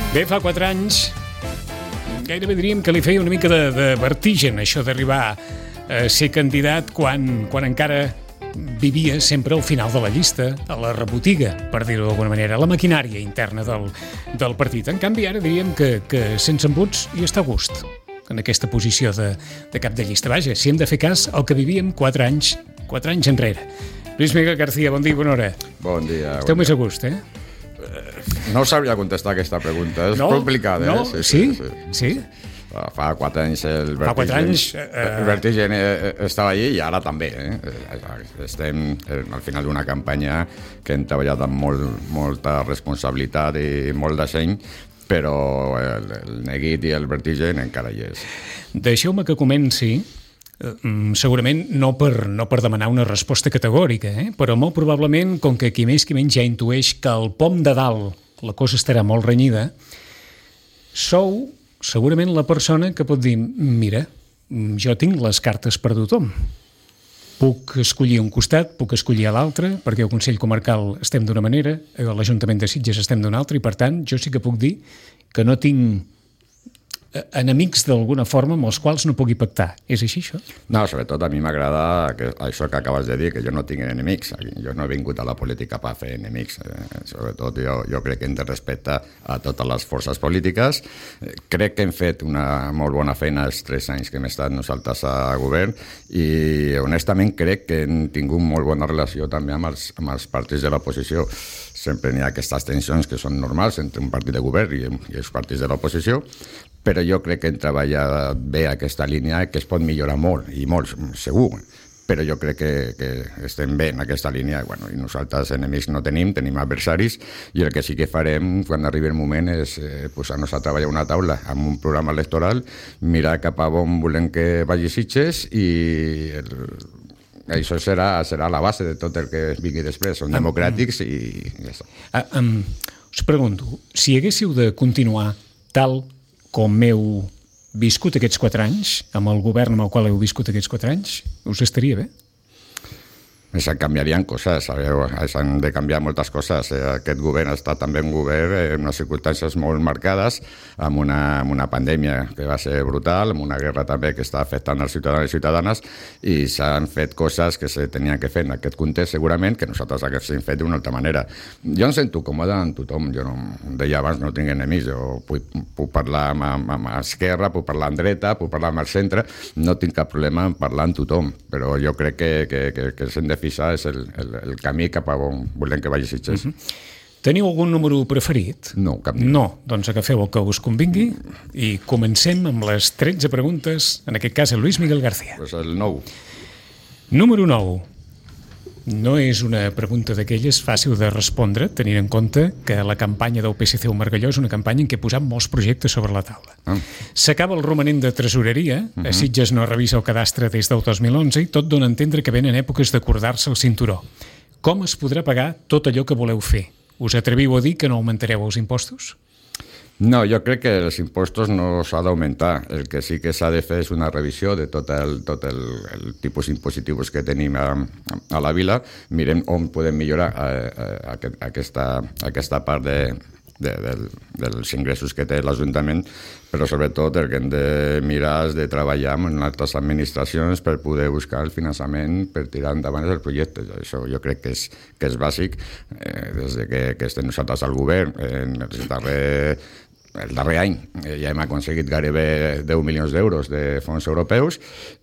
Bé, fa 4 anys gairebé diríem que li feia una mica de vertigen això d'arribar a ser candidat quan encara vivia sempre al final de la llista, a la rebotiga, per dir-ho d'alguna manera, a la maquinària interna del partit. En canvi, ara diríem que sense embuts hi està a gust en aquesta posició de cap de llista. Vaja, si hem de fer cas al que vivíem 4 anys enrere. Lluís Miguel García, bon dia i bona hora. Bon dia. Esteu més a gust, eh? No sabria contestar aquesta pregunta, és complicada. No? Sí? Fa 4 anys el vertigen estava allí i ara també. Estem al final d'una campanya que hem treballat amb molta responsabilitat i molt de seny, però el neguit i el vertigen encara hi és. Deixeu-me que comenci, segurament no per demanar una resposta categòrica, però molt probablement, com que qui més qui menys ja intueix que al pom de dalt la cosa estarà molt renyida, sou segurament la persona que pot dir, mira, jo tinc les cartes per tothom. Puc escollir un costat, puc escollir a l'altre, perquè al Consell Comarcal estem d'una manera, a l'Ajuntament de Sitges estem d'una altra, i per tant jo sí que puc dir que no tinc enemics d'alguna forma amb els quals no pugui pactar. És així, això? No, sobretot a mi m'agrada això que acabes de dir, que jo no tinc enemics. Jo no he vingut a la política per fer enemics. Sobretot jo crec que hem de respectar a totes les forces polítiques. Crec que hem fet una molt bona feina els 3 anys que hem estat nosaltres a govern i honestament crec que hem tingut molt bona relació també amb els partits de l'oposició. Sempre n'hi ha aquestes tensions que són normals entre un partit de govern i els partits de l'oposició, però jo crec que hem treballat bé aquesta línia, que es pot millorar molt, i molt, segur, però jo crec que estem bé en aquesta línia, i nosaltres enemics no tenim adversaris, i el que sí que farem quan arribi el moment és posar-nos a treballar una taula amb un programa electoral, mirar cap a on volem que vagi Sitges i això serà la base de tot el que vingui després. Són democràtics i ja està. Us pregunto, si haguéssiu de continuar tal com heu viscut aquests 4 anys, amb el govern amb el qual heu viscut aquests 4 anys, us estaria bé? Se canviarien coses, s'han de canviar moltes coses. Aquest govern ha estat també un govern en unes circumstàncies molt marcades, amb una pandèmia que va ser brutal, amb una guerra també que està afectant els ciutadans i ciutadanes, i s'han fet coses que se tenien que fer en aquest context segurament, que nosaltres haguéssim fet d'una altra manera. Jo em sento còmode amb tothom, jo deia abans, no tinc enemics, jo puc parlar amb Esquerra, puc parlar amb dreta, puc parlar amb el centre, no tinc cap problema en parlar amb tothom, però jo crec que s'hem de fixar és el camí cap a on volem que vagi Sitges. Teniu algun número preferit? No, cap ni. No, doncs agafeu el que us convingui i comencem amb les 13 preguntes, en aquest cas a Lluís Miguel García. Pues el 9. Número 9. No és una pregunta d'aquelles fàcil de respondre, tenint en compte que la campanya del PSC al Margalló és una campanya en què he posat molts projectes sobre la taula. S'acaba el romanent de tresoreria, a Sitges no revisa el cadastre des del 2011 i tot dona a entendre que venen èpoques d'acordar-se el cinturó. Com es podrà pagar tot allò que voleu fer? Us atreviu a dir que no augmentareu els impostos? No, jo crec que els impostos no s'ha d'augmentar. El que sí que s'ha de fer és una revisió de tot el tipus impositius que tenim a la vila. Mirem on podem millorar aquesta part dels ingressos que té l'Ajuntament, però sobretot el que hem de mirar és de treballar amb altres administracions per poder buscar el finançament per tirar endavant els projectes. Això jo crec que és bàsic. Des que estem nosaltres al govern, el darrer any ja hem aconseguit gairebé 10 milions d'euros de fons europeus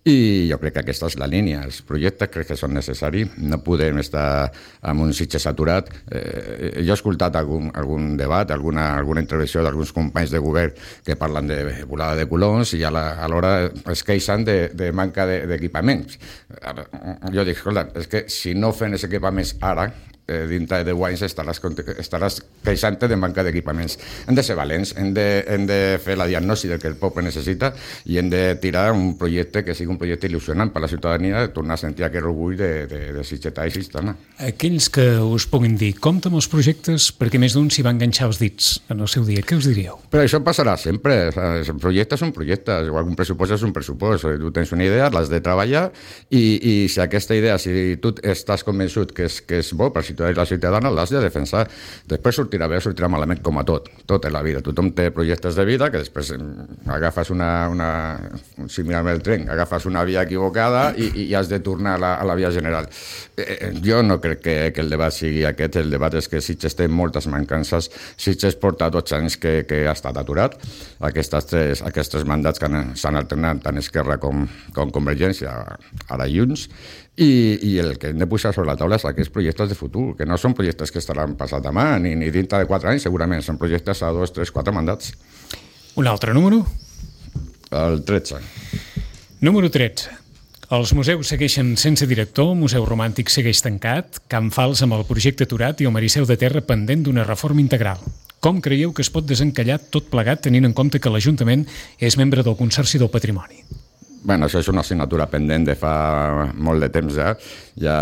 i jo crec que aquesta és la línia. Els projectes crec que són necessaris, no podem estar amb un Sitges saturat. Jo he escoltat algun debat, alguna intervenció d'alguns companys de govern que parlen de volada de colons i alhora es queixen de manca d'equipaments. Jo dic, escolta, és que si no fem els equipaments ara, dintre de 10 anys estaràs queixant-te de manca d'equipaments. Hem de ser valents, hem de fer la diagnosi del que el poble necessita i hem de tirar un projecte que sigui un projecte il·lusionant per a la ciutadania, de tornar a sentir aquest orgull de Sitgetà i Sitgetana. Aquells que us puguin dir, compta amb els projectes perquè més d'un s'hi va enganxar els dits en el seu dia, què us diríeu? Però això passarà sempre, el projecte és un projecte, un pressupost és un pressupost, tu tens una idea, l'has de treballar i si aquesta idea, si tu estàs convençut que és bo per si ciutadà i la ciutadana l'has de defensar. Després sortirà bé o sortirà malament, com a tot en la vida. Tothom té projectes de vida que després agafes similar al tren, agafes una via equivocada i has de tornar a la via general. Jo no crec que el debat sigui aquest. El debat és que Sitges té moltes mancances. Sitges porta 12 anys que ha estat aturat. Aquests tres mandats que s'han alternat tant Esquerra com Convergència, ara Junts, i el que hem de posar sobre la taula és aquests projectes de futur, que no són projectes que estaran passat demà, ni dintre de 4 anys, segurament, són projectes a 2, 3, 4 mandats. Un altre número? El 13. Número 13. Els museus segueixen sense director, el Museu Romàntic segueix tancat, Can Fals amb el projecte aturat i el Mariceu de Terra pendent d'una reforma integral. Com creieu que es pot desencallar tot plegat tenint en compte que l'Ajuntament és membre del Consorci del Patrimoni? Bueno, això és una assignatura pendent de fa molt de temps ja. Ja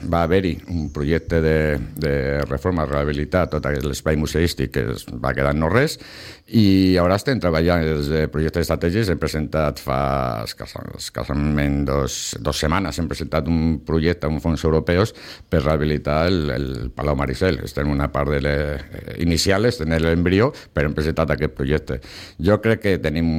va haver-hi un projecte de reforma, rehabilitar tot l'espai museístic que va quedar no res, i ara estem treballant des de projectes estratègics. Hem presentat fa escassament 2 setmanes, hem presentat un projecte amb fons europeus per rehabilitar el Palau Maricel. Estem en una part inicial, estem en l'embrió, però hem presentat aquest projecte. Jo crec que tenim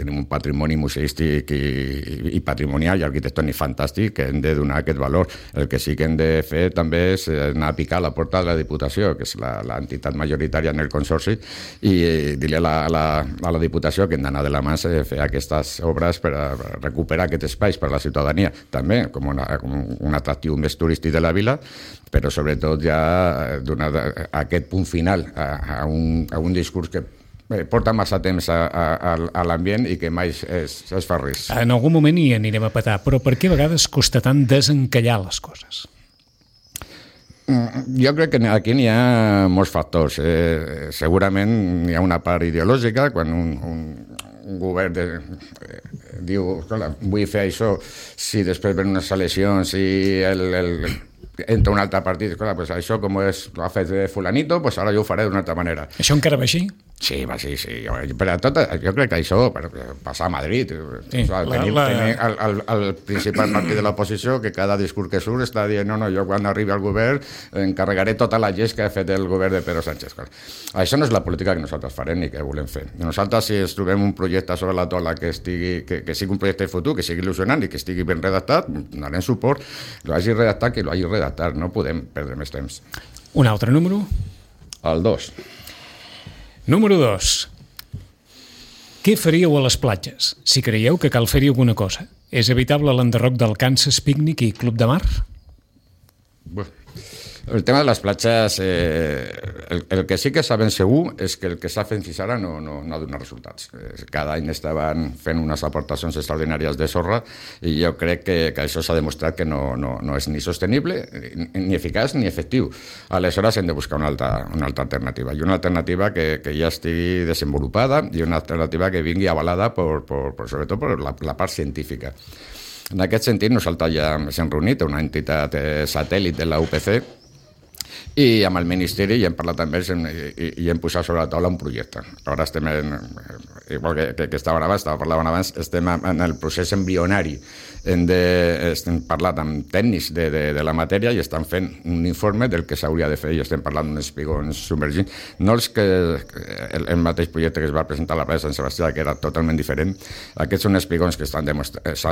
un patrimoni museístic i patrimonial i arquitectònic fantàstic que hem de donar aquest valor. El que sí que hem de fer també és anar a picar a la porta de la Diputació, que és l'entitat majoritària en el Consorci, i dir-li a la Diputació que hem d'anar de la mà a fer aquestes obres per a recuperar aquests espais per a la ciutadania, també com un atractiu més turístic de la vila, però sobretot ja donar aquest punt final a un discurs que porta massa temps a l'ambient i que mai es fa res. En algun moment hi anirem a petar, però per què a vegades costa tant desencallar les coses? Jo crec que aquí n'hi ha molts factors. Segurament hi ha una part ideològica, quan un govern diu, vull fer això, si després ven unes eleccions i entra un altre partit, pues això com l'ha fet fulanito, pues ara jo ho faré d'una altra manera. Això encara va així? Sí, va, sí. Però jo crec que això passa a Madrid. Sí, tenim el principal partit de l'oposició que cada discurs que surt està dient no, jo quan arribi al govern encarregaré tota la llest que ha fet el govern de Pedro Sánchez. Això no és la política que nosaltres farem ni que volem fer. Nosaltres, si ens trobem un projecte sobre la taula que sigui un projecte de futur, que sigui il·lusionant i que estigui ben redactat, donarem suport. Lo hagi redactat, que lo hagi redactat. No podem perdre més temps. Un altre número? El 2. Número 2. Què faríeu a les platges, si creieu que cal fer-hi alguna cosa? És evitable l'enderroc del Kansas Picnic i Club de Mar? El tema de les platges, el que sí que sabem segur és que el que s'ha fet fins ara no ha donat resultats. Cada any estaven fent unes aportacions extraordinàries de sorra i jo crec que això s'ha demostrat que no és ni sostenible, ni eficaç, ni efectiu. Aleshores hem de buscar una altra alternativa, i una alternativa que ja estigui desenvolupada i una alternativa que vingui avalada sobretot per la part científica. En aquest sentit, nosaltres ja s'hem reunit a una entitat satèl·lit de la UPC i amb el Ministeri i hem parlat amb ells i hem posat sobre la taula un projecte. Ara estem, igual que parlaven abans, estem en el procés embrionari. Estem parlant amb tècnics de la matèria i estan fent un informe del que s'hauria de fer i estem parlant d'uns espigons submergits. No el mateix projecte que es va presentar a la plaça de Sant Sebastià, que era totalment diferent. Aquests són espigons que s'ha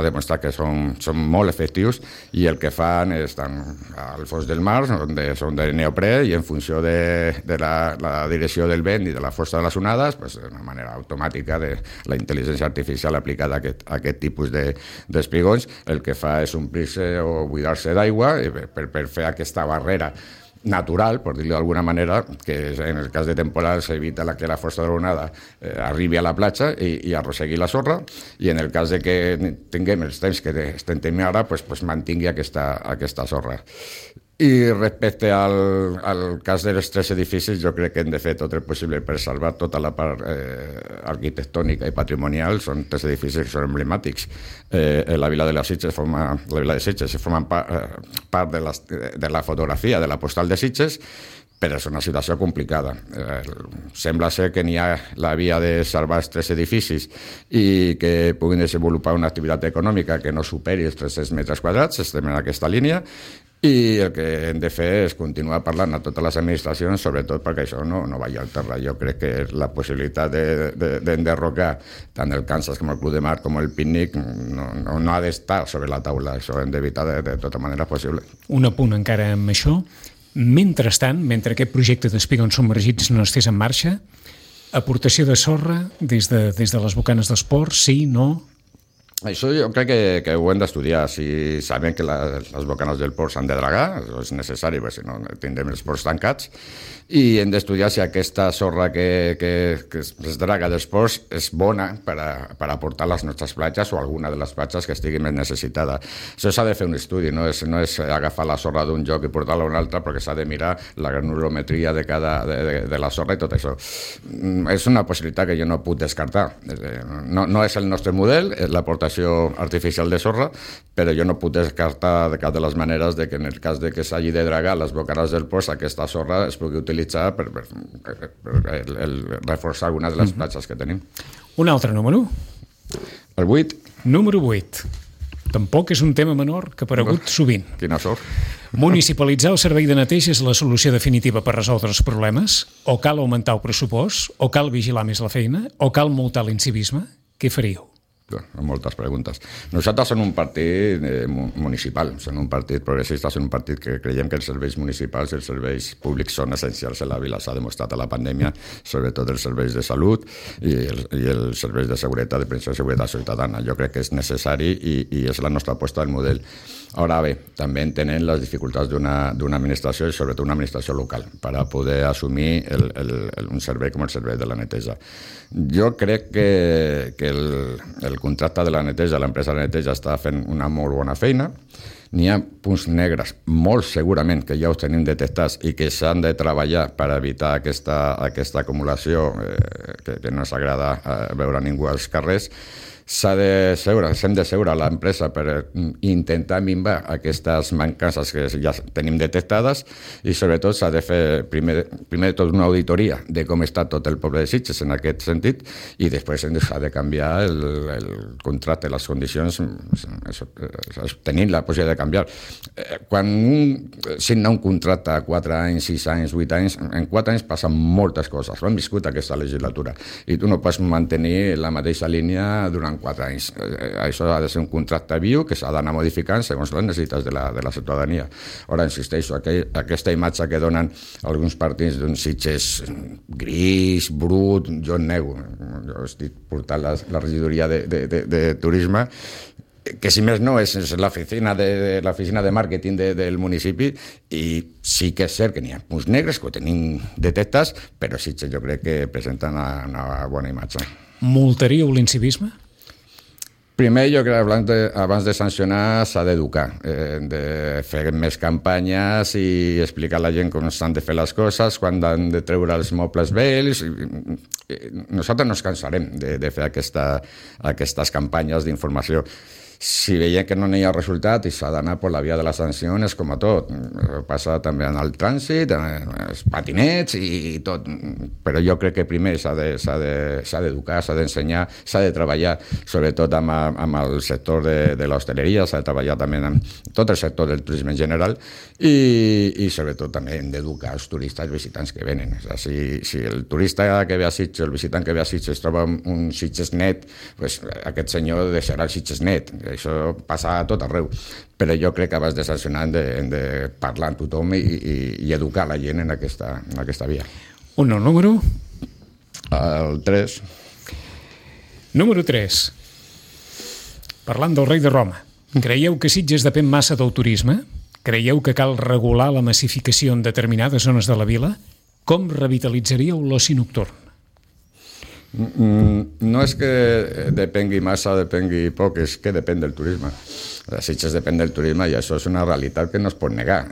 demostrat que són molt efectius i el que fan estan al fons del mar, són de neoprè, i en funció de la direcció del vent i de la força de les onades, d'una manera automàtica de la intel·ligència artificial aplicada a aquest tipus d'espigons, el que fa és omplir-se o buidar-se d'aigua per fer aquesta barrera natural, per dir-ho d'alguna manera, que en el cas de temporal s'evita que la força de l'onada arribi a la platja i arrossegui la sorra, i en el cas de que tinguem els temps que estem tenint ara, mantingui aquesta sorra. I respecte al cas dels 3 edificis, jo crec que hem de fer tot el possible per salvar tota la part arquitectònica i patrimonial. Són 3 edificis que són emblemàtics. La vila de Sitges forma part de la fotografia de la postal de Sitges, però és una situació complicada. Sembla ser que n'hi ha la via de salvar els 3 edificis i que puguin desenvolupar una activitat econòmica que no superi els 300 metres quadrats. Estem en aquesta línia. i el que hem de fer és continuar parlant a totes les administracions, sobretot perquè això no vagi al terra. Jo crec que la possibilitat d'enderrocar tant el Kansas com el Club de Mar com el Pícnic no ha d'estar sobre la taula. Això hem d'evitar de tota manera possible. Un apunt encara amb això. Mentrestant, mentre aquest projecte d'Espigons submergits no estés en marxa, aportació de sorra des de les bocanes d'esport, sí, no? Això jo crec que ho hem d'estudiar. Si sabem que les bocanes del port s'han de dragar, això és necessari, perquè si no tindrem els ports tancats, i hem d'estudiar si aquesta sorra que es draga dels ports és bona per aportar a les nostres platges o alguna de les platges que estigui més necessitada. Això s'ha de fer un estudi, no és agafar la sorra d'un lloc i portar-la a un altre, perquè s'ha de mirar la granulometria de la sorra i tot això. És una possibilitat que jo no puc descartar. No és el nostre model, l'aportació artificial de sorra, però jo no puc descartar de cap de les maneres de que en el cas de que s'hagi de dragar les bocanes del port, aquesta sorra es pugui utilitzar per reforçar alguna de les platges que tenim. Un altre número? El 8. Número 8. Tampoc és un tema menor que ha aparegut sovint. Quina sort. Municipalitzar el servei de neteja és la solució definitiva per resoldre els problemes? O cal augmentar el pressupost? O cal vigilar més la feina? O cal multar l'incivisme? Què faríeu? Moltes preguntes. Nosaltres som un partit municipal, som un partit progressista, som un partit que creiem que els serveis municipals i els serveis públics són essencials a la vila. S'ha demostrat a la pandèmia, sobretot els serveis de salut i els serveis de seguretat, de prevenció i seguretat ciutadana. Jo crec que és necessari i és la nostra aposta del model. Ara bé, també entenem les dificultats d'una administració i sobretot una administració local per a poder assumir un servei com el servei de la neteja. Jo crec que el contracte de la neteja, l'empresa de neteja està fent una molt bona feina. N'hi ha punts negres, molt segurament, que ja els tenim detectats i que s'han de treballar per evitar aquesta acumulació que no ens agrada veure a ningú als carrers. S'hem de seure a l'empresa per intentar minvar aquestes mancances que ja tenim detectades i sobretot s'ha de fer primer de tot una auditoria de com està tot el poble de Sitges en aquest sentit i després s'ha de canviar el contracte, les condicions, tenint la possibilitat de canviar. Quan un signa un contracte a 4 anys, 6 anys, 8 anys, en 4 anys passen moltes coses. Ho hem viscut aquesta legislatura i tu no pots mantenir la mateixa línia durant 4 anys. Això ha de ser un contracte viu que s'ha d'anar modificant segons les necessitats de la ciutadania. Ara, insisteixo, aquesta imatge que donen alguns partits d'un Sitges gris, brut, jo en nego. Jo estic portant la regidoria de turisme, que si més no és l'oficina de màrqueting del municipi i sí que és cert que n'hi ha punts negres que ho tenim detectats, però Sitges jo crec que presenten una bona imatge. Multaríeu l'incivisme? Primer, jo crec que abans de sancionar s'ha d'educar, de fer més campanyes i explicar a la gent com s'han de fer les coses, quan han de treure els mobles vells. Nosaltres no ens cansarem de fer aquestes campanyes d'informació. Si veiem que no hi ha resultat i s'ha d'anar per la via de les sancions, com a tot. Passa també en el trànsit, els patinets i tot. Però jo crec que primer s'ha d'educar, s'ha d'ensenyar, s'ha de treballar, sobretot amb el sector de l'hostaleria, s'ha de treballar també amb tot el sector del turisme en general i sobretot també hem d'educar els turistes, els visitants que venen. Si el turista que ve a Sitges, el visitant que ve a Sitges troba un Sitges net, aquest senyor deixarà el Sitges net. Això passa a tot arreu, però jo crec que abans de sancionar hem de parlar amb tothom i educar la gent en aquesta via. Un nou número? El 3. Número 3. Parlant del rei de Roma, creieu que Sitges depèn massa del turisme? Creieu que cal regular la massificació en determinades zones de la vila? Com revitalitzaríeu l'oci nocturn? No és que depengui massa o depengui poc, és que depèn del turisme. Sitges depèn del turisme i això és una realitat que no es pot negar.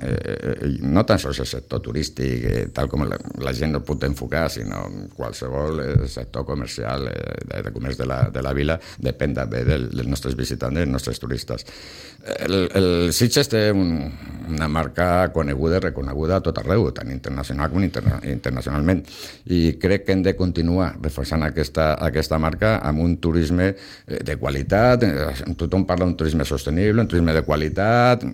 No tan sols el sector turístic, tal com la gent no pot enfocar, sinó qualsevol sector comercial, de comerç de la vila, depèn també dels nostres visitants, dels nostres turistes. El Sitges té una marca coneguda i reconeguda a tot arreu, tant internacional com internacionalment, i crec que hem de continuar reforçant aquesta marca amb un turisme de qualitat. Tothom parla d'un turisme sostenible, sostenible, un turisme de qualitat,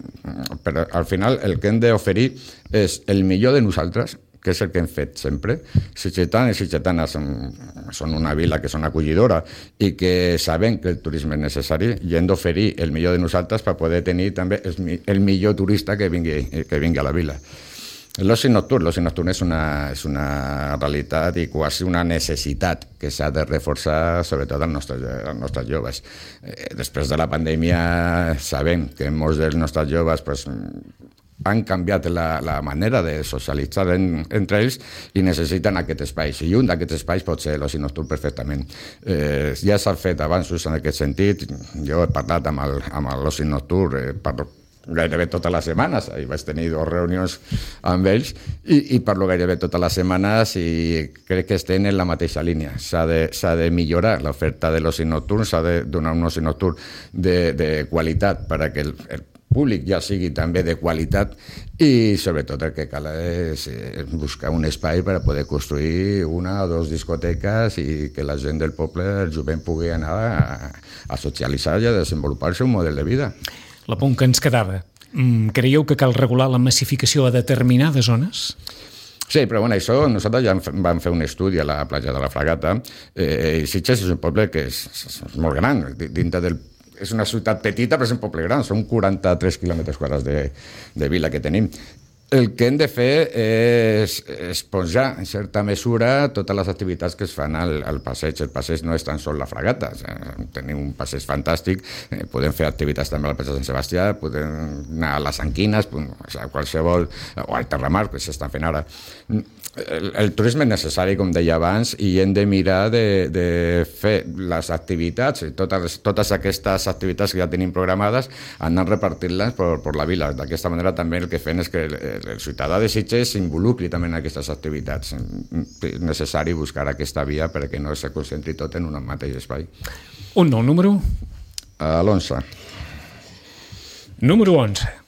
però al final el que hem d'oferir és el millor de nosaltres, que és el que hem fet sempre. Sitgetans i sitgetanes són una vila que són acollidora i que sabem que el turisme és necessari i hem d'oferir el millor de nosaltres per poder tenir també el millor turista que vingui a la vila. L'oci nocturn és una realitat i quasi una necessitat que s'ha de reforçar, sobretot als nostres joves. Després de la pandèmia sabem que molts dels nostres joves han canviat la manera de socialitzar entre ells i necessiten aquest espai. I un d'aquests espais pot ser l'oci nocturn perfectament. Ja s'han fet avanços en aquest sentit. Jo he parlat amb l'oci nocturn gairebé totes les setmanes. Ahir vaig tenir 2 reunions amb ells i parlo gairebé totes les setmanes i crec que estem en la mateixa línia. S'ha de millorar l'oferta de l'oci nocturn, s'ha de donar un oci nocturn de qualitat perquè el públic ja sigui també de qualitat i sobretot el que cal és buscar un espai per a poder construir 1 o 2 discoteques i que la gent del poble, el jovent, pugui anar a socialitzar i a desenvolupar-se un model de vida. L'apunt que ens quedava. Creieu que cal regular la massificació a determinades zones? Sí, però bueno, això nosaltres ja vam fer un estudi a la platja de la Fragata i Sitges és un poble que és molt gran, dintre del és una ciutat petita, però és un poble gran, són 43 quilòmetres quadrats de vila que tenim. El que hem de fer és esponjar, en certa mesura, totes les activitats que es fan al passeig. El passeig no és tan sols la Fragata, tenim un passeig fantàstic, podem fer activitats també al passeig de Sant Sebastià, podem anar a les Anquines, qualsevol, o al Terramar, que s'estan fent ara. El turisme és necessari, com deia abans, i hem de mirar de fer les activitats, totes aquestes activitats que ja tenim programades, anar repartint-les per la vila. D'aquesta manera també el que fem és que el ciutadà de Sitges s'involucri també en aquestes activitats. És necessari buscar aquesta via perquè no se concentri tot en un mateix espai. Un nou número? L'11. Número 11.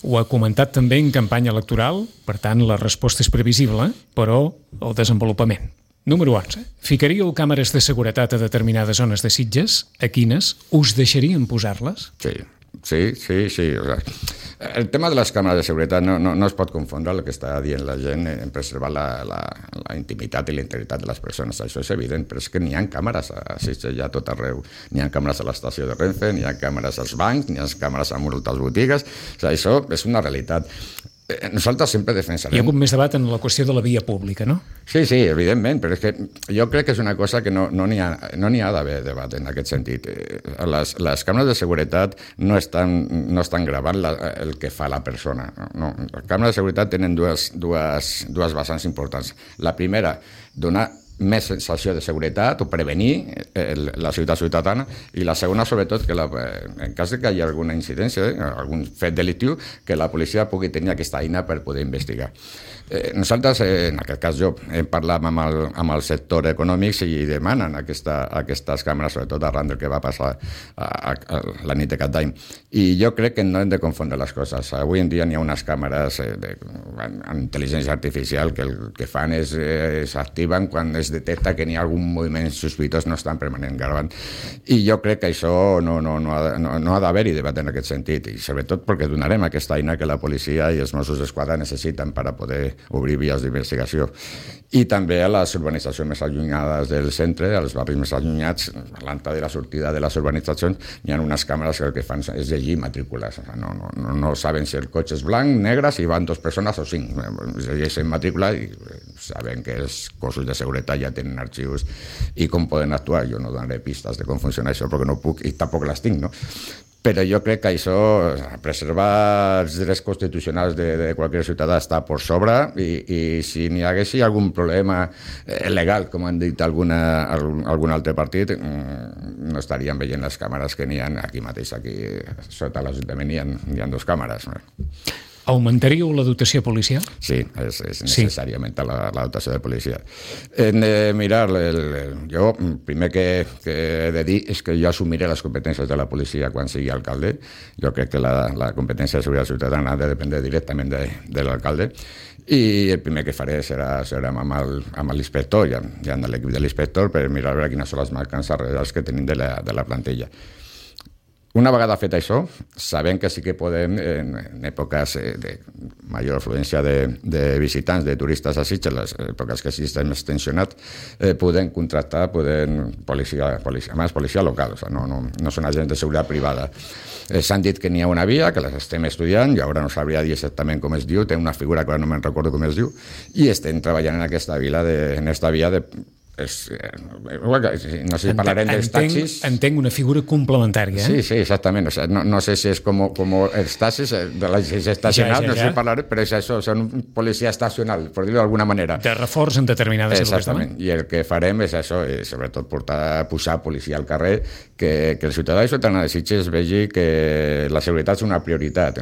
Ho ha comentat també en campanya electoral, per tant, la resposta és previsible, però el desenvolupament. Número 11. Ficaríeu càmeres de seguretat a determinades zones de Sitges? A quines? Us deixarien posar-les? Sí. El tema de les càmeres de seguretat no es pot confondre el que està dient la gent en preservar la intimitat i la integritat de les persones. Això és evident, però és que n'hi ha càmeres a Sitges ja tot arreu. N'hi ha càmeres a l'estació de Renfe, n'hi ha càmeres als bancs, n'hi ha càmeres a moltes botigues. Això és una realitat. Nosaltres sempre defensarem... Hi ha hagut més debat en la qüestió de la via pública, no? Sí, evidentment, però és que jo crec que és una cosa que no n'hi ha d'haver debat en aquest sentit. Les càmeres de seguretat no estan gravant el que fa la persona. No. Les càmeres de seguretat tenen dues vessants importants. La primera, donar més sensació de seguretat o prevenir la ciutadana, i la segona, sobretot, que en cas que hi hagi alguna incidència, algun fet delictiu, que la policia pugui tenir aquesta eina per poder investigar. Nosaltres, en aquest cas jo, hem parlat amb el sector econòmic i demanen aquestes càmeres, sobretot arran del que va passar la nit de Cap d'Any. I jo crec que no hem de confondre les coses. Avui en dia n'hi ha unes càmeres amb intel·ligència artificial que el que fan és s'activen quan es detecta que n'hi ha algun moviment sospitós, no estan permanent gravant. I jo crec que això no ha d'haver-hi debat en aquest sentit, i sobretot perquè donarem aquesta eina que la policia i els Mossos d'Esquadra necessiten per a poder obrir vies d'investigació. I també a les urbanitzacions més allunyades del centre, als barris més allunyats, a l'entrada i la sortida de les urbanitzacions, hi ha unes càmeres que el que fan és llegir matrícules. No saben si el cotxe és blanc, negre, si van 2 persones o 5. Llegeixen matrícula i saben que els cossos de seguretat ja tenen arxius i com poden actuar. Jo no donaré pistes de com funciona això perquè no puc i tampoc les tinc, no? Però jo crec que això, preservar els drets constitucionals de qualsevol ciutadà està per sobre, i si n'hi hagués algun problema legal, com han dit algun altre partit, no estaríem veient les càmeres que n'hi ha aquí mateix, aquí sota l'Ajuntament hi ha 2 càmeres. Augmentaríeu la dotació policial? Sí, és necessari augmentar la dotació de policia. Hem de mirar, jo primer que he de dir és que jo assumiré les competències de la policia quan sigui alcalde. Jo crec que la competència de seguretat ciutadana ha de dependre directament de l'alcalde, i el primer que faré serà amb l'inspector i amb l'equip de l'inspector per mirar a veure quines són les mancances reals que tenim de la plantilla. Una vegada fet això, sabem que sí que podem, en èpoques de major afluència de visitants, de turistes a Sitges, les èpoques que sí estem més tensionats, podem contractar policia local, o sigui, no són agents de seguretat privada. S'han dit que n'hi ha una via, que les estem estudiant, i ara no sabria dir exactament com es diu, té una figura que ara no me'n recordo com es diu, i estem treballant en aquesta via no sé si parlarem dels taxis. Entenc una figura complementària. Sí, exactament. O sea, no sé si és com els taxis de la estacional, no sé si parlaré, però és això, són un policia estacional, per dir-ho d'alguna manera. De reforç en determinades èpoques. Exactament. I el que farem és això, sobretot posar policia al carrer, que el ciutadà i ciutadana de Sitges vegi que la seguretat és una prioritat.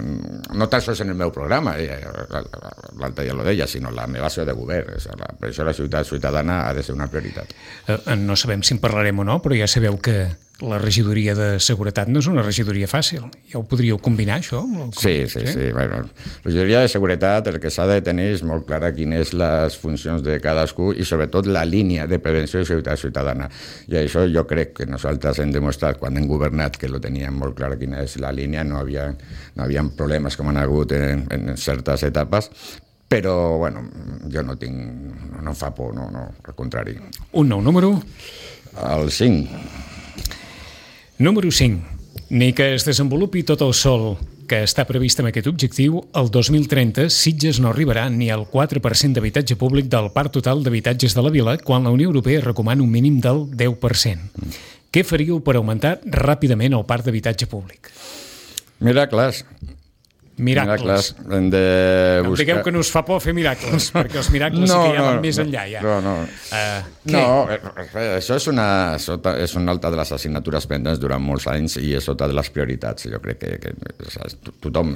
No tan sols en el meu programa, l'altre ja ho deia, sinó la meva acció de govern. Per això la ciutadana ha de ser una prioritat. No sabem si en parlarem o no, però ja sabeu que la regidoria de seguretat no és una regidoria fàcil. Ja ho podríeu combinar, això? Sí. Bueno, la regidoria de seguretat el que s'ha de tenir és molt clara quines són les funcions de cadascú i sobretot la línia de prevenció i seguretat ciutadana. I això jo crec que nosaltres hem demostrat quan hem governat que lo teníem molt clar quina és la línia, no havia problemes com han hagut en certes etapes. Però, bueno, jo no em fa por, no, al contrari. Un nou número? El 5. Número 5. Ni que es desenvolupi tot el sol que està previst amb aquest objectiu, el 2030 Sitges no arribarà ni al 4% d'habitatge públic del parc total d'habitatges de la vila, quan la Unió Europea recomana un mínim del 10%. Què faríeu per augmentar ràpidament el parc d'habitatge públic? Miracles. Hem de buscar... No em digueu que no us fa por fer miracles, perquè els miracles sí que ja van més enllà. Això és una altra de les assignatures pendents durant molts anys i és tota de les prioritats. Jo crec que tothom,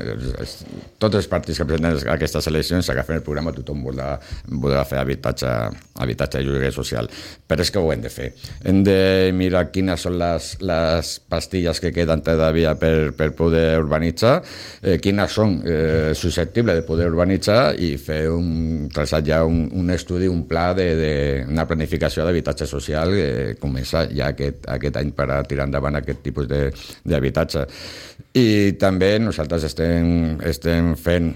tots els partits que presenten aquestes eleccions s'agafen el programa, tothom voldrà fer habitatge i lloguer social. Però és que ho hem de fer. Hem de mirar quines són les pastilles que queden todavía per poder urbanitzar, quines són susceptibles de poder urbanitzar i fer traçar ja un estudi, un pla una planificació d'habitatge social que comença ja aquest any per a tirar endavant aquest tipus d'habitatge. I també nosaltres estem fent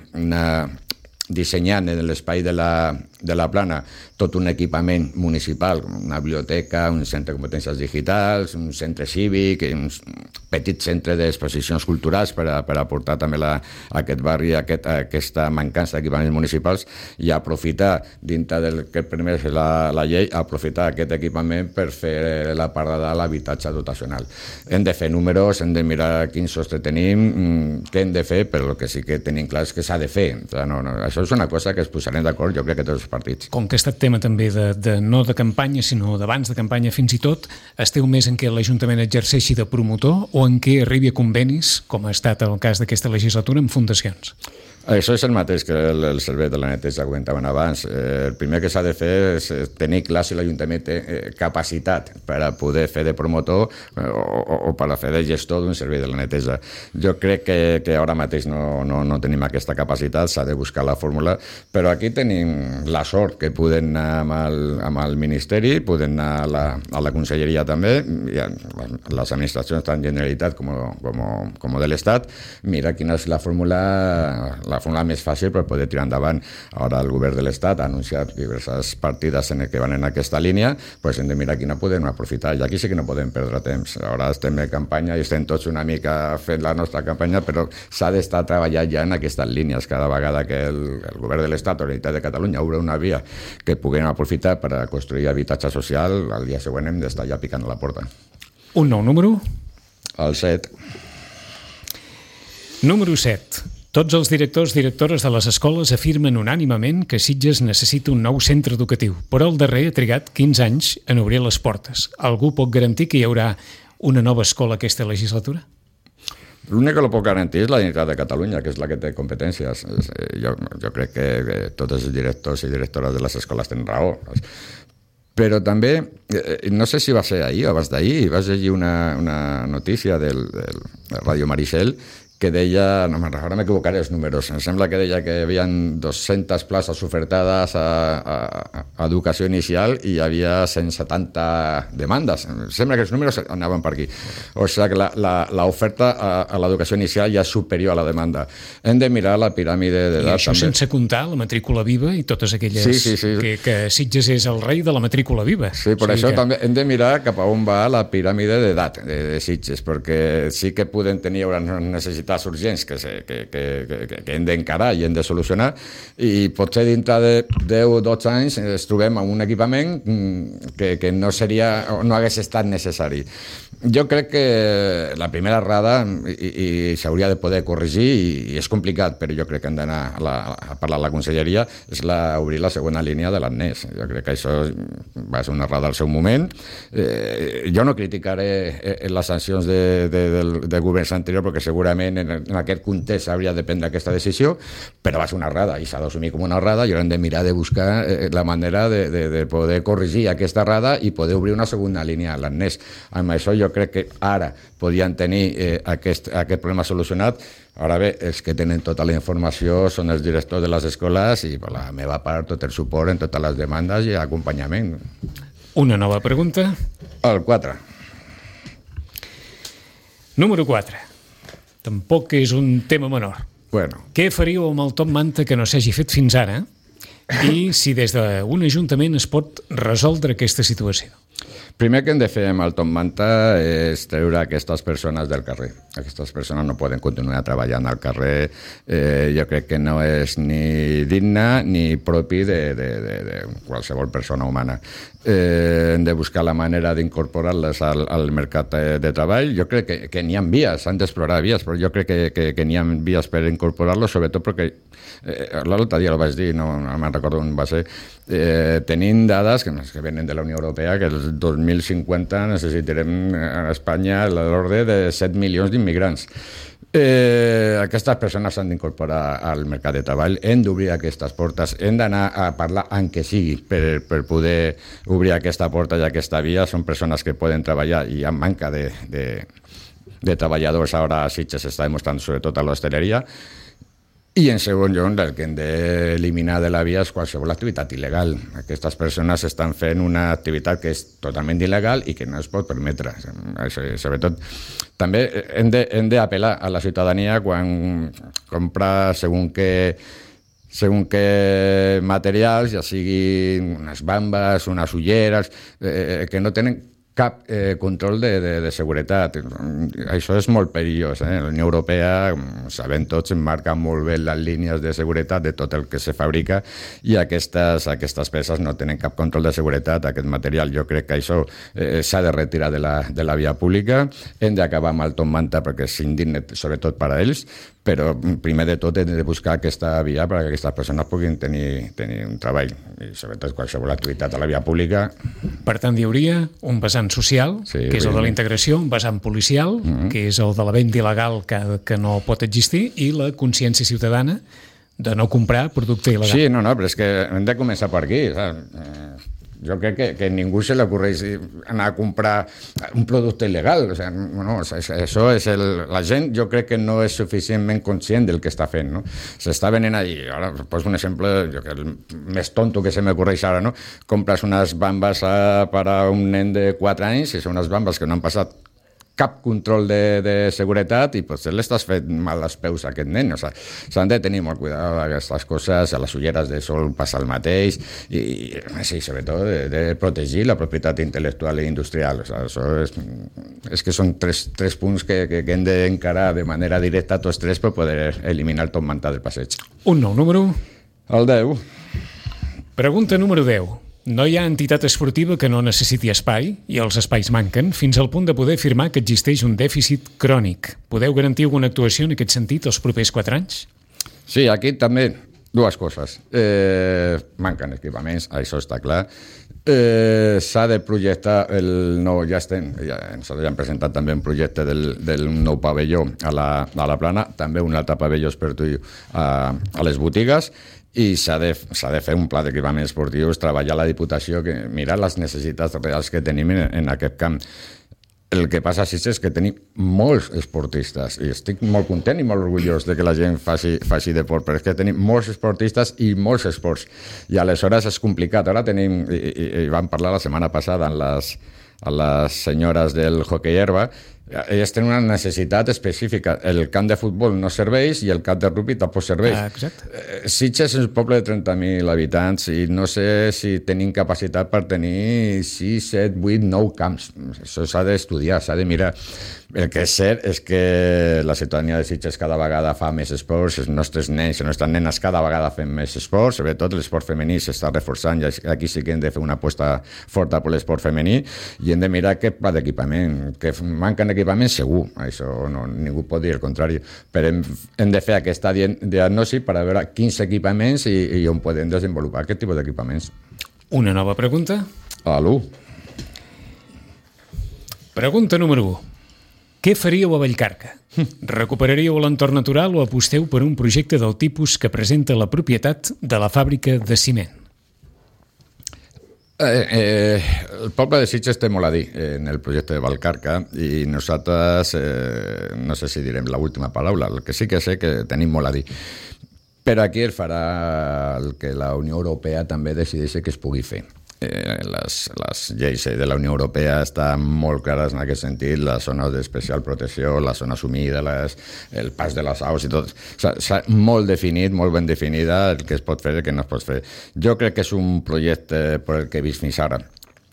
dissenyant en l'espai de la plana tot un equipament municipal, una biblioteca, un centre de competències digitals, un centre cívic, un petit centre d'exposicions culturals per aportar també a aquest barri aquesta mancança d'equipaments municipals i aprofitar, dintre del que permet la llei, aprofitar aquest equipament per fer la part de dalt l'habitatge dotacional. Hem de fer números, hem de mirar quin sostre tenim, què hem de fer, però el que sí que tenim clar és que s'ha de fer. Això és una cosa que es posarem d'acord, jo crec que tots els partits. Com que ha estat tema també no de campanya, sinó d'abans de campanya fins i tot, esteu més en què l'Ajuntament exerceixi de promotor o en què arribi a convenis, com ha estat el cas d'aquesta legislatura, amb fundacions? Això és el mateix que el servei de la neteja que comentaven abans. El primer que s'ha de fer és tenir clar si l'Ajuntament té capacitat per a poder fer de promotor o per a fer de gestor d'un servei de la neteja. Jo crec que ara mateix no tenim aquesta capacitat, s'ha de buscar la fórmula, però aquí tenim la sort que podem anar amb el Ministeri, podem anar a la Conselleria també, i les administracions tant Generalitat com de l'Estat, mira quina és la fórmula més fàcil per poder tirar endavant. Ara el govern de l'Estat ha anunciat diverses partides que van en aquesta línia, doncs hem de mirar quina podem aprofitar. I aquí sí que no podem perdre temps. Ara estem en campanya i estem tots una mica fent la nostra campanya, però s'ha d'estar treballant ja en aquestes línies. Cada vegada que el govern de l'Estat o la Generalitat de Catalunya obre una via que puguem aprofitar per a construir habitatge social, el dia següent hem d'estar ja picant a la porta. Un nou número? El 7. Número 7. Tots els directors i directores de les escoles afirmen unànimement que Sitges necessita un nou centre educatiu, però el darrer ha trigat 15 anys en obrir les portes. Algú pot garantir que hi haurà una nova escola aquesta legislatura? L'únic que lo pot garantir és la Generalitat de Catalunya, que és la que té competències. Jo crec que tots els directors i directores de les escoles tenen raó. Però també, no sé si va ser ahir o abans d'ahir, vaig llegir una notícia del Radio Maricel que deia, no me'n recordo, m'equivocaré els números, em sembla que deia que hi havia 200 places ofertades a educació inicial i hi havia 170 demandes. Sembla que els números anaven per aquí. O sigui que l'oferta a l'educació inicial ja és superior a la demanda. Hem de mirar la piràmide d'edat. I això també, sense comptar la matrícula viva i totes aquelles que Sitges és el rei de la matrícula viva. Sí, per això també hem de mirar cap a on va la piràmide d'edat de Sitges, perquè sí que podem tenir unes necessitats urgents que hem d'encarar i hem de solucionar, i potser dintre de 10 o 12 anys ens trobem amb un equipament que no hagués estat necessari. Jo crec que la primera errada, i s'hauria de poder corregir, i és complicat, però jo crec que hem d'anar a parlar a la conselleria, és obrir la segona línia de l'ANES. Jo crec que això va ser una errada al seu moment. Jo no criticaré les sancions de governs anteriors, perquè segurament en aquest context hauria de prendre aquesta decisió, però va ser una errada i s'ha d'assumir com una errada, i haurem de mirar de buscar la manera de poder corregir aquesta errada i poder obrir una segona línia a l'ANES. Amb això jo crec que ara podien tenir aquest problema solucionat. Ara bé, els que tenen tota la informació són els directors de les escoles, i per la meva part tot el suport en totes les demandes i acompanyament. Una nova pregunta. El 4. Número 4. Tampoc és un tema menor. Bueno. Què faríeu amb el top manta que no s'hagi fet fins ara? I si des d'un ajuntament es pot resoldre aquesta situació? Primer que hem de fer amb el top manta és treure aquestes persones del carrer. Aquestes persones no poden continuar treballant al carrer. Jo crec que no és ni digne ni propi de qualsevol persona humana. Hem de buscar la manera d'incorporar-les al mercat de treball. Jo crec que n'hi ha vies, s'han d'explorar vies, però jo crec que n'hi ha vies per incorporar-los, sobretot perquè l'altre dia ho vaig dir, no me'n recordo on va ser, tenint dades que venen de la Unió Europea, que el 2050 necessitarem a Espanya l'ordre de 7 milions d'immigrants. Aquestes persones s'han d'incorporar al mercat de treball, hem d'obrir aquestes portes, hem d'anar a parlar en què sigui per poder obrir aquesta porta i aquesta via. Són persones que poden treballar i amb manca de treballadors ara a Sitges s'està demostrant, sobretot a l'hostaleria. I en segon lloc, el que hem d'eliminar de la via és qualsevol activitat il·legal. Aquestes persones estan fent una activitat que és totalment il·legal i que no es pot permetre. Sobretot, també hem d'apel·lar a la ciutadania quan compra segons què materials, ja siguin unes bambes, unes ulleres, que no tenen cap control de seguretat. Això és molt perillós. La Unió Europea, sabem tots, marca molt bé les línies de seguretat de tot el que se fabrica, i aquestes peces no tenen cap control de seguretat. Aquest material, jo crec que això s'ha de retirar de la via pública. Hem d'acabar amb el top manta perquè és indigne, sobretot per a ells, però primer de tot hem de buscar aquesta via perquè aquestes persones puguin tenir un treball, i sobretot qualsevol activitat a la via pública. Per tant, hi hauria un vessant social, que és el de la integració, un vessant policial, que és el de la venda il·legal que no pot existir, i la consciència ciutadana de no comprar producte il·legal. Sí, no, però és que hem de començar per aquí, jo crec que a ningú se li ocorreix anar a comprar un producte il·legal. Això és la gent, jo crec que no és suficientment conscient del que està fent, no? S'està venent allí. Ara poso un exemple, el més tonto que se m'ocorreix ara, no? Compres unes bambes per a un nen de 4 anys, i són unes bambes que no han passat cap control de seguretat, i potser l'estàs fent mal als peus a aquest nen. S'han de tenir molt cuidado d'aquestes coses. A les ulleres de sol passa el mateix, i sí, sobretot de protegir la propietat intel·lectual i industrial. Això és que són tres punts que hem d'encarar de manera directa tots tres per poder eliminar el top manta del passeig. Un nou número. El 10. Pregunta número 10. No hi ha entitat esportiva que no necessiti espai, i els espais manquen, fins al punt de poder afirmar que existeix un dèficit crònic. Podeu garantir alguna actuació en aquest sentit els propers 4 anys? Sí, aquí també dues coses. Manquen equipaments, això està clar. S'ha de projectar el nou, nosaltres ja hem presentat també un projecte del nou pavelló a la Plana, també un altre pavelló esportiu a les botigues, i s'ha de fer un pla d'equipaments esportius, treballar a la Diputació, mirar les necessitats reals que tenim en aquest camp. El que passa, sí, és que tenim molts esportistes i estic molt content i molt orgullós de que la gent faci deport, però és que tenim molts esportistes i molts esports i aleshores és complicat. Ara tenim, i vam parlar la setmana passada amb les senyores del hoquei herba, elles tenen una necessitat específica. El camp de futbol no serveix i el camp de rugby tampoc serveix. Sitges és un poble de 30.000 habitants i no sé si tenim capacitat per tenir 6, 7, 8, 9 camps. Això s'ha d'estudiar, s'ha de mirar. El que és cert és que la ciutadania de Sitges cada vegada fa més esports, els nostres nens i les nostres nenes cada vegada fem més esports, sobretot l'esport femení s'està reforçant i aquí sí que hem de fer una aposta forta per l'esport femení i hem de mirar què pla d'equipament, que manquen equipaments segur, això no, ningú pot dir el contrari, però hem de fer aquesta diagnosi per a veure quins equipaments i on podem desenvolupar aquest tipus d'equipaments. Una nova pregunta? Alú. Pregunta número 1. Què faríeu a Vallcarca? Recuperaríeu l'entorn natural o aposteu per un projecte del tipus que presenta la propietat de la fàbrica de ciment? El poble de Sitges té molt a dir en el projecte de Vallcarca i nosaltres, no sé si direm l'última paraula, el que sí que sé que tenim molt a dir. Però aquí es farà el que la Unió Europea també decideixi que es pugui fer. Les lleis de la Unió Europea estan molt clares en aquest sentit, les zones d'especial protecció, les zones humides, el pas de les aus i tot. S'ha molt definit, molt ben definida el que es pot fer i el que no es pot fer. Jo crec que és un projecte per el que he vist fins ara.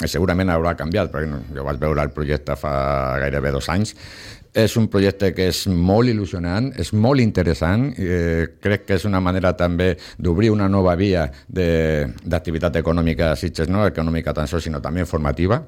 Segurament haurà canviat, perquè jo vaig veure el projecte fa gairebé 2 anys. És un projecte que és molt il·lusionant, és molt interessant, crec que és una manera també d'obrir una nova via d'activitat econòmica a Sitges, no econòmica tan sols, sinó també formativa.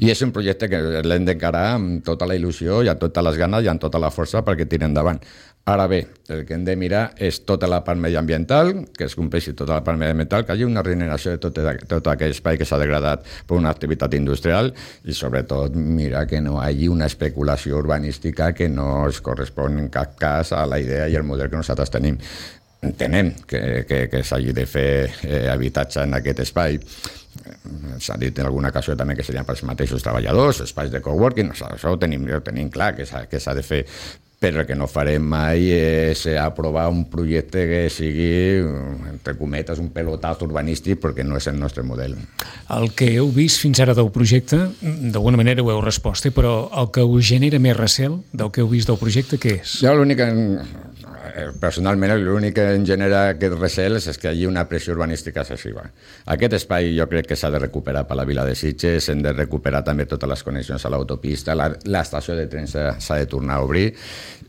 I és un projecte que l'hem d'encarar amb tota la il·lusió i amb totes les ganes i amb tota la força perquè tiri endavant. Ara bé, el que hem de mirar és tota la part mediambiental, que es compleixi tota la part mediambiental, que hi hagi una regeneració de tot aquell espai que s'ha degradat per una activitat industrial i sobretot mirar que no hi hagi una especulació urbanística que no es correspon en cap cas a la idea i el model que nosaltres tenim. Entenem que s'hagi de fer habitatge en aquest espai. S'ha dit en alguna ocasió també que serien pels mateixos treballadors, espais de coworking, això ho tenim clar que s'ha de fer, però el que no farem mai és aprovar un projecte que sigui, entre cometes, un pelotaz urbanístic, perquè no és el nostre model. El que heu vist fins ara del projecte, d'alguna manera ho heu respost, però el que us genera més recel del que heu vist del projecte, què és? Jo personalment l'únic que em genera aquest recel és que hi hagi una pressió urbanística excessiva. Aquest espai jo crec que s'ha de recuperar per la vila de Sitges, hem de recuperar també totes les connexions a l'autopista, l'estació de tren s'ha de tornar a obrir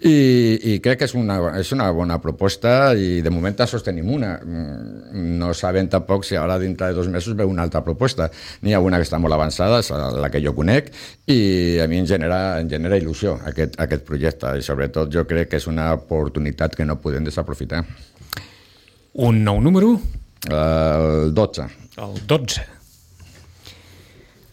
i crec que és una bona proposta i de moment sols tenim una. No sabem tampoc si ara dintre de 2 mesos veu una altra proposta. N'hi ha una que està molt avançada, és la que jo conec, i a mi em genera il·lusió aquest projecte i sobretot jo crec que és una oportunitat que no podem desaprofitar. Un nou número? El 12. El 12.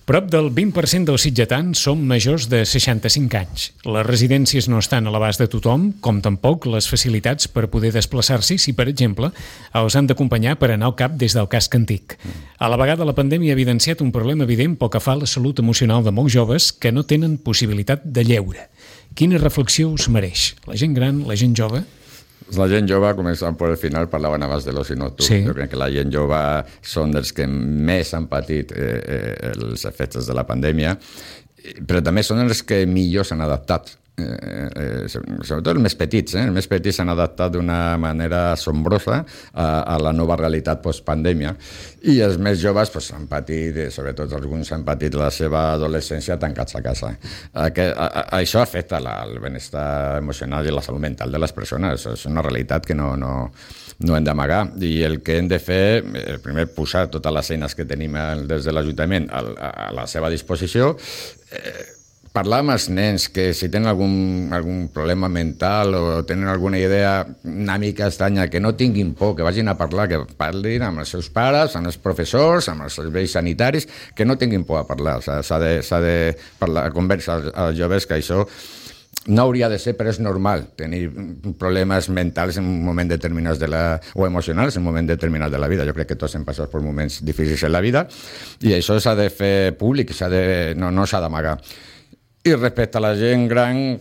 Prop del 20% dels sitgetans són majors de 65 anys. Les residències no estan a l'abast de tothom, com tampoc les facilitats per poder desplaçar-s'hi si, per exemple, els han d'acompanyar per anar al cap des del casc antic. A la vegada, la pandèmia ha evidenciat un problema evident pel que fa a la salut emocional de molts joves que no tenen possibilitat de lleure. Quina reflexió us mereix? La gent gran, la gent jove? La gent jove, començant per el final, parlaven abans de l'oci nocturn. Sí. Jo crec que la gent jove són dels que més han patit els efectes de la pandèmia, però també són els que millor s'han adaptat. Sobretot els més petits. Els més petits s'han adaptat d'una manera assombrosa a la nova realitat postpandèmia i els més joves han patit, sobretot alguns han patit la seva adolescència tancats a casa. Això afecta el benestar emocional i la salut mental de les persones. És una realitat que no hem d'amagar i el que hem de fer, primer posar totes les eines que tenim des de l'Ajuntament a la seva disposició, parlar amb els nens que si tenen algun problema mental o tenen alguna idea una mica estranya, que no tinguin por, que vagin a parlar, que parlin amb els seus pares, amb els professors, amb els serveis sanitaris, que no tinguin por a parlar. S'ha de parlar, conversar als joves que això no hauria de ser, però és normal tenir problemes mentals en un moment determinat o emocionals en un moment determinat de la vida. Jo crec que tots hem passat per moments difícils en la vida i això s'ha de fer públic, no s'ha d'amagar. I respecte a la gent gran,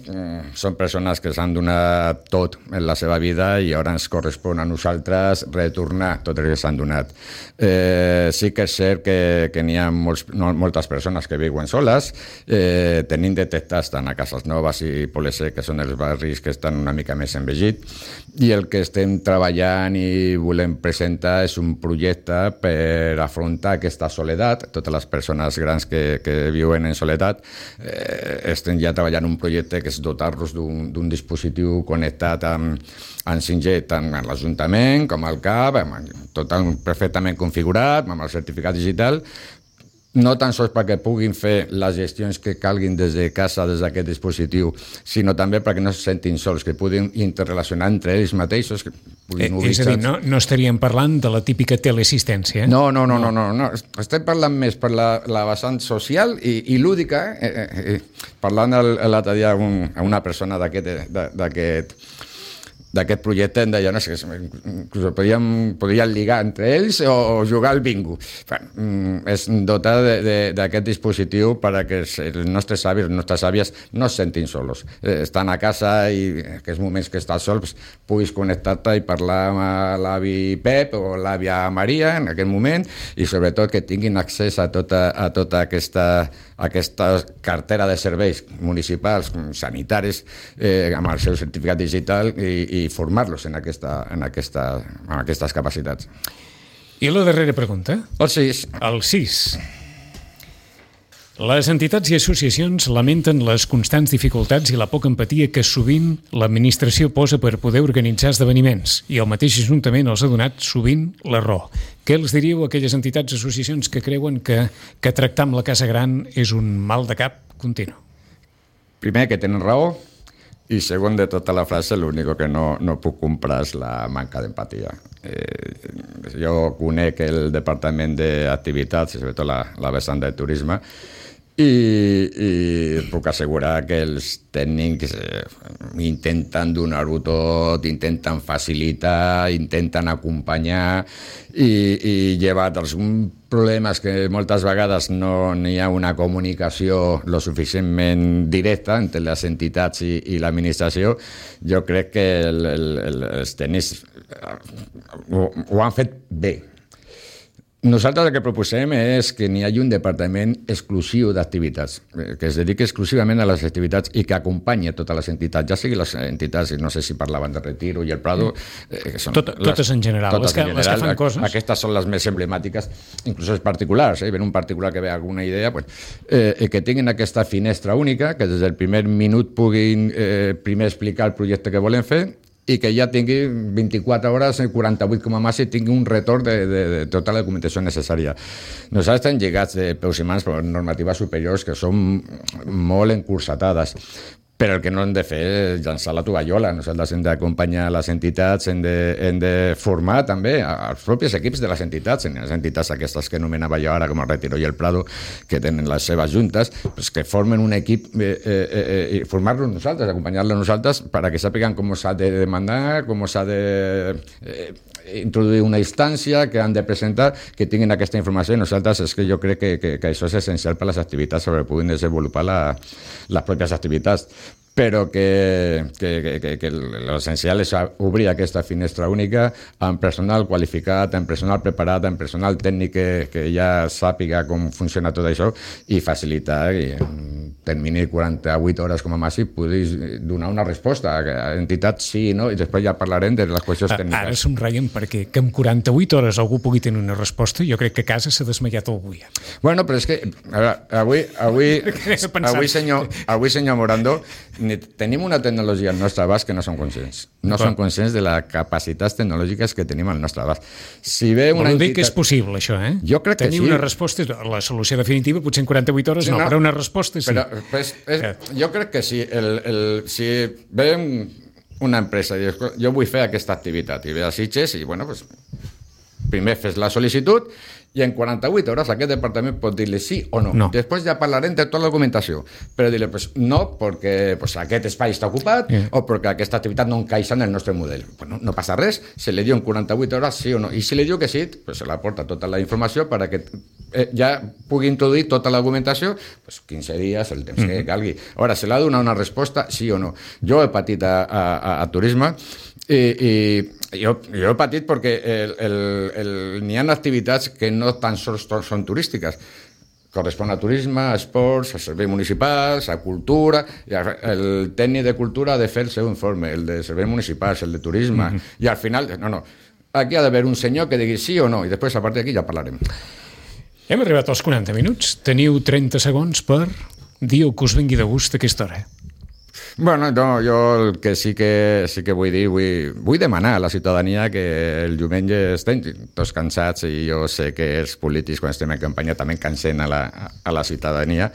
són persones que s'han donat tot en la seva vida i ara ens correspon a nosaltres retornar tot el que s'han donat. Sí que és cert que n'hi ha moltes persones que viuen soles, tenim detectats tant a Cases Noves i Polesec, que són els barris que estan una mica més envegits, i el que estem treballant i volem presentar és un projecte per afrontar aquesta soledat, totes les persones grans que viuen en soledat. Estem ja treballant un projecte que és dotar-los d'un dispositiu connectat amb 5G tant a l'Ajuntament com al CAP, tot perfectament configurat, amb el certificat digital, no tan sols perquè puguin fer les gestions que calguin des de casa, des d'aquest dispositiu, sinó també perquè no se sentin sols, que puguin interrelacionar entre ells mateixos, que puguin obrir és a dir, no estaríem parlant de la típica teleassistència? No. Estem parlant més per la vessant social i lúdica. Parlant l'altre dia a una persona d'aquest projecte em deia, no sé, inclús podrien ligar entre ells o jugar al bingo. És dotar d'aquest dispositiu perquè els nostres avis, les nostres àvies no es sentin solos. Estan a casa i en aquests moments que estàs sol puguis connectar-te i parlar amb l'avi Pep o l'àvia Maria en aquell moment, i sobretot que tinguin accés a tota aquesta cartera de serveis municipals, sanitaris, amb el seu certificat digital i formar-los en aquestes capacitats. I la darrera pregunta? El 6. El 6. Les entitats i associacions lamenten les constants dificultats i la poca empatia que sovint l'administració posa per poder organitzar esdeveniments, i el mateix Ajuntament els ha donat sovint la raó. Què els diríeu a aquelles entitats i associacions que creuen que tractar amb la casa gran és un mal de cap continu? Primer, que tenen raó, i segon, de tota la frase, l'únic que no puc comprar és la manca d'empatia. Jo conec el Departament d'Activitats, sobretot la vessant de turisme, i puc assegurar que els tècnics intenten donar-ho tot, intenten facilitar, intenten acompanyar i llevat alguns problemes que moltes vegades no hi ha una comunicació lo suficientment directa entre les entitats i l'administració. Jo crec que els tècnics ho han fet bé. Nosaltres el que proposem és que n'hi hagi un departament exclusiu d'activitats, que es dediqui exclusivament a les activitats i que acompanyi totes les entitats, ja sigui les entitats, no sé si parlaven de Retiro i el Prado, que són totes en general, les que fan coses. Aquestes són les més emblemàtiques, inclús els particulars, ven un particular que ve alguna idea, que tinguin aquesta finestra única, que des del primer minut puguin primer explicar el projecte que volen fer, i que ja tingui 24 hores, 48 com a màxim, tingui un retorn de tota la documentació necessària. Nosaltres estem lligats de peus i mans per normatives superiors que són molt encursetades, però el que no hem de fer és llançar la tovallola. Nosaltres hem d'acompanyar les entitats, hem de formar també els propis equips de les entitats aquestes que anomenava jo ara, com el Retiro i el Prado, que tenen les seves juntes, pues que formen un equip i formar-los nosaltres, acompanyar-los nosaltres perquè sàpiguen com s'ha de demandar, com s'ha de introduir una instància que han de presentar, que tinguin aquesta informació. I nosaltres és que jo crec que això és essencial per a les activitats, sobre puguin desenvolupar les pròpies activitats, però que l'essencial és obrir aquesta finestra única amb personal qualificat, amb personal preparat, amb personal tècnic que ja sàpiga com funciona tot això i facilitar que en termini de 48 hores com a màxim puguis donar una resposta a entitats sí i no, i després ja parlarem de les qüestions tècniques. Ara somreiem perquè que en 48 hores algú pugui tenir una resposta, jo crec que a casa s'ha desmaiat algú ja. Bueno, però és que avui senyor Morando, tenim una tecnologia al nostre abast que no som conscients. No som conscients de les capacitats tecnològiques que tenim al nostre abast. Si ve una entitat... que és possible, això, eh? Jo crec que sí. Tenir una resposta, la solució definitiva, potser en 48 hores no, però una resposta sí. Però jo crec que sí. Si ve una empresa i dius, jo vull fer aquesta activitat, i ve a Sitges i, bueno, pues, primer fes la sol·licitud i en 48 hores aquest departament pot dir-li sí o no. Després ja parlarem de tota la documentació, però dir-li pues, no perquè pues, aquest espai està ocupat o perquè aquesta activitat no encaixa en el nostre model. Pues no passa res, se li diu en 48 hores sí o no, i si li diu que sí, pues, se la porta tota la informació perquè ja pugui introduir tota l'argumentació, pues 15 dies, el temps que calgui. Ara, se l'ha de donar una resposta, sí o no. Jo he patit a turisme i jo he patit perquè n'hi ha activitats que no tan sols són turístiques, correspon a turisme, a esports, a serveis municipals, a cultura, i el tècnic de cultura ha de fer el seu informe, el de serveis municipals, el de turisme, i al final, no, aquí ha d'haver un senyor que digui sí o no, i després a partir d'aquí ja parlarem. Hem arribat als 40 minuts, teniu 30 segons per dir el que us vingui de gust a aquesta hora. Bueno, no, jo el que sí que vull dir, vull demanar a la ciutadania que el diumenge estem tots cansats, i jo sé que els polítics quan estem en campanya també cansem a la ciutadania,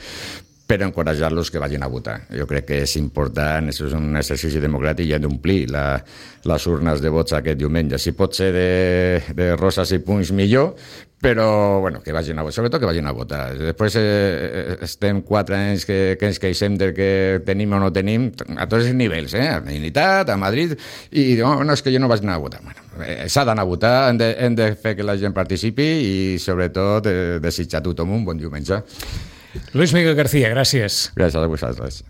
però encoratjar-los que vagin a votar. Jo crec que és important, és un exercici democràtic i hem d'omplir les urnes de vots aquest diumenge. Si pot ser de roses i punts, millor, però bueno, que vagin a votar, sobretot que vagin a votar. Després estem 4 anys que ens queixem del que tenim o no tenim, a tots els nivells, a la Generalitat, a Madrid, i no, és que jo no vaig anar a votar. Bueno, s'ha d'anar a votar, hem de fer que la gent participi i sobretot desitjar a tothom un bon diumenge. Luis Miguel García, gràcies. Gràcies a vosaltres.